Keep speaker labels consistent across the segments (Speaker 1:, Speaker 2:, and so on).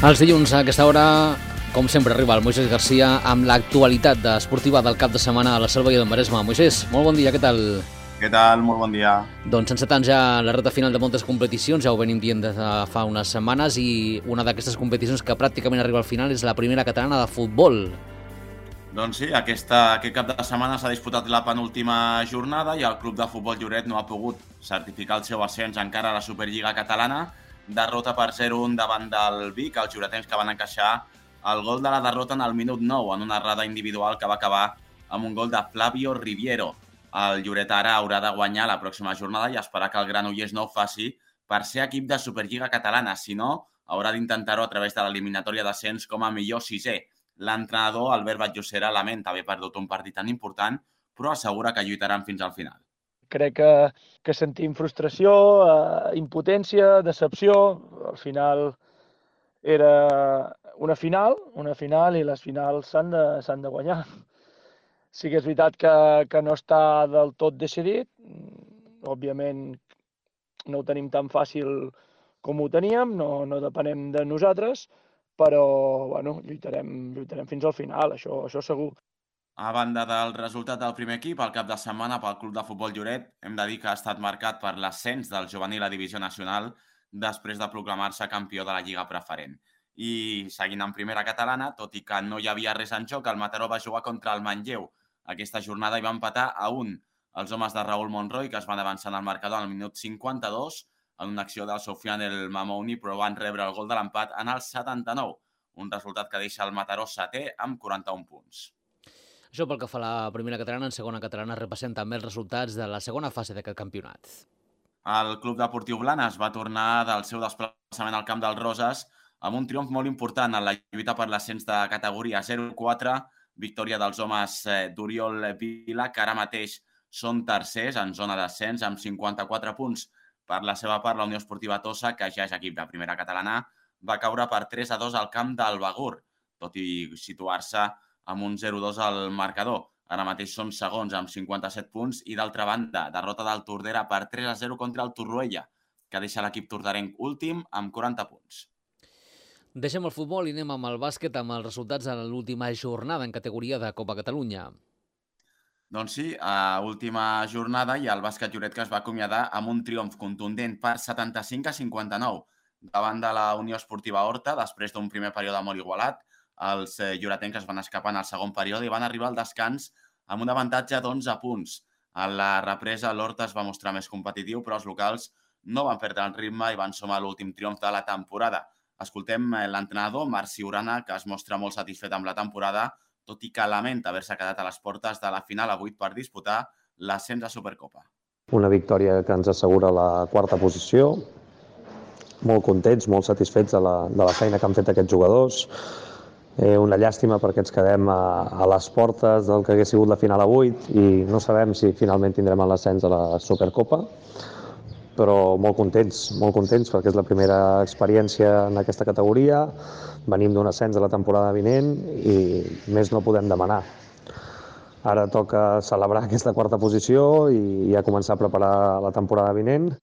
Speaker 1: Els dilluns a aquesta hora, com sempre, arriba el Moisés Garcia amb l'actualitat esportiva del cap de setmana a la Selva i del Maresme. Moisés, molt bon dia, què tal?
Speaker 2: Què tal? Molt bon dia.
Speaker 1: Doncs encetant ja la recta final de moltes competicions, ja ho venim dient des de fa unes setmanes, i una d'aquestes competicions que pràcticament arriba al final és la primera catalana de futbol.
Speaker 2: Doncs sí, aquest cap de setmana s'ha disputat la penúltima jornada i el Club de Futbol Lloret no ha pogut certificar el seu ascens encara a la Superliga catalana. Derrota per 0-1 davant del Vic, els lloretens que van encaixar el gol de la derrota en el minut 9 en una errada individual que va acabar amb un gol de Flavio Riviero. El Lloret ara haurà de guanyar la pròxima jornada i esperar que el Granollers no ho faci per ser equip de Superliga catalana. Si no, haurà d'intentar-ho a través de l'eliminatòria d'ascens com a millor sisè. L'entrenador, Albert Batllocera, lamenta haver perdut un partit tan important, però assegura que lluitaran fins al final.
Speaker 3: Crec que sentim frustració, impotència, decepció. Al final era una final i les finals s'han de guanyar. Sí que és veritat que no està del tot decidit. Òbviament no ho tenim tan fàcil com ho teníem, no depenem de nosaltres, però bueno, lluitarem fins al final, això segur.
Speaker 2: A banda del resultat del primer equip, el cap de setmana pel Club de Futbol Lloret hem de dir que ha estat marcat per l'ascens del juvenil a Divisió Nacional després de proclamar-se campió de la Lliga Preferent. I seguint en primera catalana, tot i que no hi havia res en joc, el Mataró va jugar contra el Manlleu. Aquesta jornada hi va empatar a 1 els homes de Raúl Monroy, que es van avançar en el marcador al minut 52 en una acció del Sofiane El Mamouni, però van rebre el gol de l'empat en el 79, un resultat que deixa el Mataró setè amb 41 punts.
Speaker 1: Això pel que fa a la primera catalana. En segona catalana repassem també els resultats de la segona fase d'aquest campionat.
Speaker 2: El Club Deportiu Blanes va tornar del seu desplaçament al Camp dels Roses amb un triomf molt important en la lluita per l'ascens de categoria 0-4, victòria dels homes d'Oriol Vila, que ara mateix són tercers en zona d'ascens amb 54 punts. Per la seva part, la Unió Esportiva Tossa, que ja és equip de primera catalana, va caure per 3-2 al camp del Begur, tot i situar-se amb un 0-2 al marcador. Ara mateix són segons amb 57 punts i, d'altra banda, derrota del Tordera per 3-0 contra el Torroella, que deixa l'equip tordarenc últim amb 40 punts.
Speaker 1: Deixem el futbol i anem amb el bàsquet, amb els resultats de l'última jornada en categoria de Copa Catalunya.
Speaker 2: Doncs sí, a última jornada hi ha el bàsquet Lloret, que es va acomiadar amb un triomf contundent per 75-59 davant de la Unió Esportiva Horta, després d'un primer període molt igualat. Els lloretencs es van escapar en el segon període i van arribar al descans amb un avantatge d'11 punts. A la represa, l'Horta es va mostrar més competitiu, però els locals no van perdre el ritme i van sumar l'últim triomf de la temporada. Escoltem l'entrenador, Marc Ciurana, que es mostra molt satisfet amb la temporada, tot i que lamenta haver-se quedat a les portes de la final a 8 per disputar l'ascens a Supercopa.
Speaker 4: Una victòria que ens assegura la quarta posició. Molt contents, molt satisfets de la feina que han fet aquests jugadors. Una llàstima perquè ens quedem a les portes del que hagués sigut la final a 8 i no sabem si finalment tindrem l'ascens a la Supercopa, però molt contents perquè és la primera experiència en aquesta categoria. Venim d'un ascens de la temporada vinent i més no podem demanar. Ara toca celebrar aquesta quarta posició i ja començar a preparar la temporada vinent.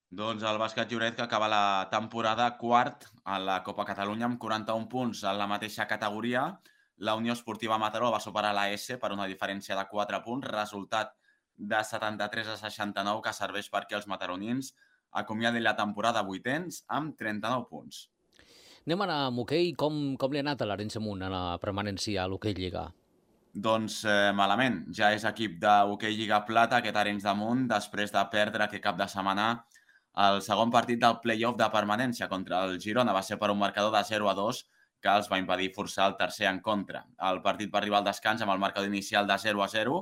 Speaker 2: Doncs el bàsquet Lloret, que acaba la temporada quart a la Copa Catalunya amb 41 punts en la mateixa categoria. La Unió Esportiva Mataró va superar la S per una diferència de 4 punts, resultat de 73-69 que serveix perquè els mataronins acomiadin la temporada vuitens amb 39 punts.
Speaker 1: Anem ara amb hoquei. Com li ha anat a l'Arenys de Munt a la permanència a l'hoquei Lliga?
Speaker 2: Doncs malament. Ja és equip d'hoquei Lliga Plata aquest Arenys de Munt després de perdre aquest cap de setmana el segon partit del play-off de permanència contra el Girona. Va ser per un marcador de 0-2 que els va impedir forçar el tercer en contra. El partit va arribar al descans amb el marcador inicial de 0-0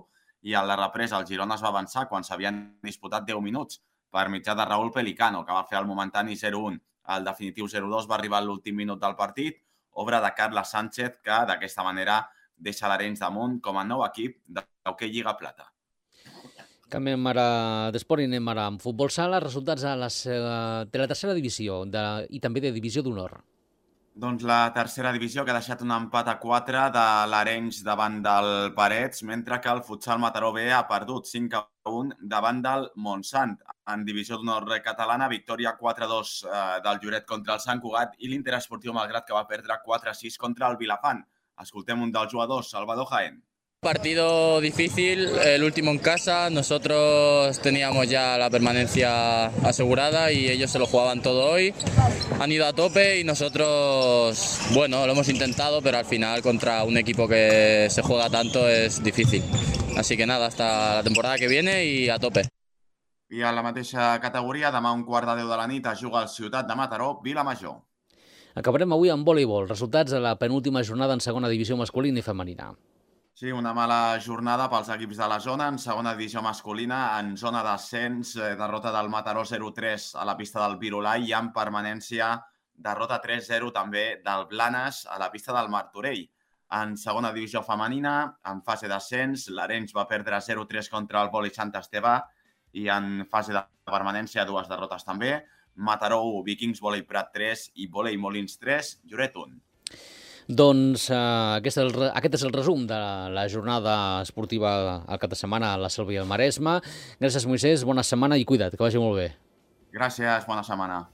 Speaker 2: i a la represa el Girona es va avançar quan s'havien disputat 10 minuts per mitjà de Raúl Pelicano, que va fer el momentani 0-1. El definitiu 0-2 va arribar a l'últim minut del partit, obra de Carles Sánchez, que d'aquesta manera deixa l'Arenys de Munt com a nou equip d'hoquei Lliga Plata.
Speaker 1: Canviem ara d'esport i anem ara amb futbol sala. Resultats de la tercera divisió i també de divisió d'honor.
Speaker 2: Doncs la tercera divisió que ha deixat un empat a 4 de l'Arenys davant del Parets, mentre que el Futsal Mataró B ha perdut 5-1 davant del Montsant. En divisió d'honor catalana, victòria 4-2 del Lloret contra el Sant Cugat i l'Interesportiu Malgrat, que va perdre 4-6 contra el Vilafant. Escoltem un dels jugadors, Salvador Jaén.
Speaker 5: Partido difícil, el último en casa, nosotros teníamos ya la permanencia asegurada y ellos se lo jugaban todo hoy, han ido a tope y nosotros, bueno, lo hemos intentado, pero al final contra un equipo que se juega tanto es difícil. Así que nada, hasta la temporada que viene y a tope.
Speaker 2: I a la mateixa categoria, demà a 1:15 de la nit es juga al Ciutat de Mataró, Vilamajor.
Speaker 1: Acabarem avui amb voleibol, resultats de la penúltima jornada en segona divisió masculina i femenina.
Speaker 2: Sí, una mala jornada pels equips de la zona. En segona divisió masculina, en zona d'ascens, derrota del Mataró 0-3 a la pista del Virolai i en permanència derrota 3-0 també del Blanes a la pista del Martorell. En segona divisió femenina, en fase d'ascens, l'Arenys va perdre 0-3 contra el Voli Sant Esteve i en fase de permanència dues derrotes també. Mataró 1, Vikings Volei Prat 3 i Volei Molins 3, Lloret 1.
Speaker 1: Doncs aquest és el resum de la jornada esportiva al cap de setmana a la Selva i el Maresme. Gràcies, Moisès, bona setmana i cuida't, que vagi molt bé.
Speaker 2: Gràcies, bona setmana.